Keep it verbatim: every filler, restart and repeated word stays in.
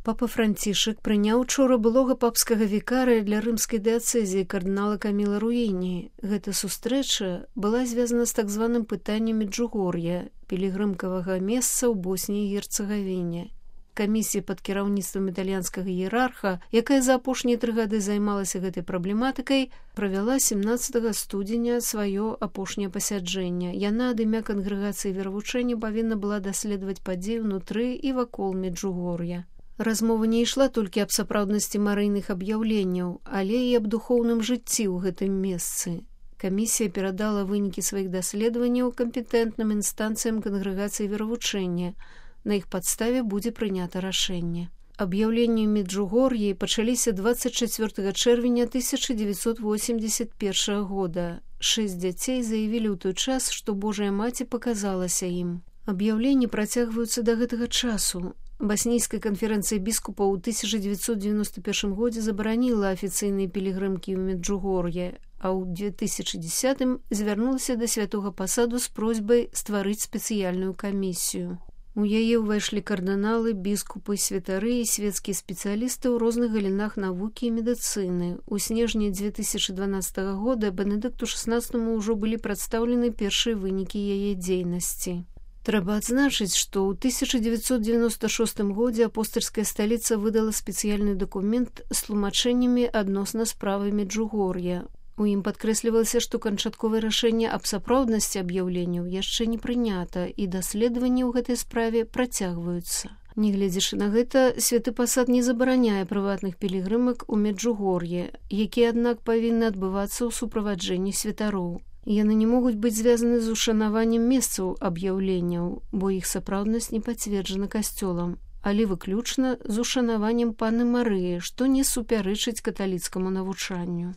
Папа Францішак прыняў учора былога папскага вікарыя для рымскай дыяцэзіі кардынала Каміла Руіні. Гэта сустрэча была звязана з так званым пытаннем Меджугор'я, пілігрымкавага месца ў Босніі і Герцагавіне. Камісія пад кіраўніцтвам італьянскага іерарха, якая за апошнія тры гады займалася гэтай праблематыкай, правяла семнаццатага студзеня сваё апошняе пасяджэнне. Яна ад імя кангрэгацыі веравучэння павінна была даследаваць падзеі ўнутры і вакол Меджугор'я. Размова не ішла толькі аб сапраўднасці марыйных аб'яўленняў, але і аб духоўным жыцці ў гэтым месцы. Камісія перадала вынікі сваіх даследаванняў кампетэнтным інстанцыям кангрэгацыі веравучэння. На іх падставе будзе прынята рашэнне. Аб'яўленні ў Меджугор'і пачаліся дваццаць чацвёртага чэрвеня тысяча дзевяцьсот восемьдесят першага года. Шэсць дзяцей заявілі ў той час, што Божая маці паказалася ім. Аб'яўленні працягваюцца да гэтага часу. Баснійская канферэнцыя біскупаў у тысяча дзевяцьсот дзевяносто першым годзе забараніла афіцыйныя пілігрымкі ў Меджугор'е, а ў две тысячы дзесятым звярнулася да святога пасаду з просьбай стварыць спецыяльную камісію. У яе ўвайшлі кардыналы, біскупы, святары і свецкія спецыялісты ў розных галінах навукі і медыцыны. У снежні две тысячы дванаццатага года Бенедыкту шаснаццатаму ўжо былі прадстаўлены першыя вынікі яе дзейнасці. Трэба адзначыць, што ў тысяча дзевяцьсот дзевяносто шостым годзе апостальская сталіца выдала спецыяльны дакумент з тлумачэннямі адносна справы Меджугор'я. У ім падкрэслівалася, што канчатковае рашэнне аб сапраўднасці аб'яўленняў яшчэ не прынята, і даследаванні ў гэтай справе працягваюцца. Нягледзячы на гэта, святы пасад не забараняе прыватных пілігрымак у Меджугор'е, якія, аднак, павінны адбывацца ў суправаджэнні святароў. Яны не могуць быць звязаны з ушанаваннем месцаў аб'яўленняў, бо іх сапраўднасць не пацверджана касцёлам, але выключна з ушанаваннем паны Марыі, што не супярэчыць каталіцкаму навучанню.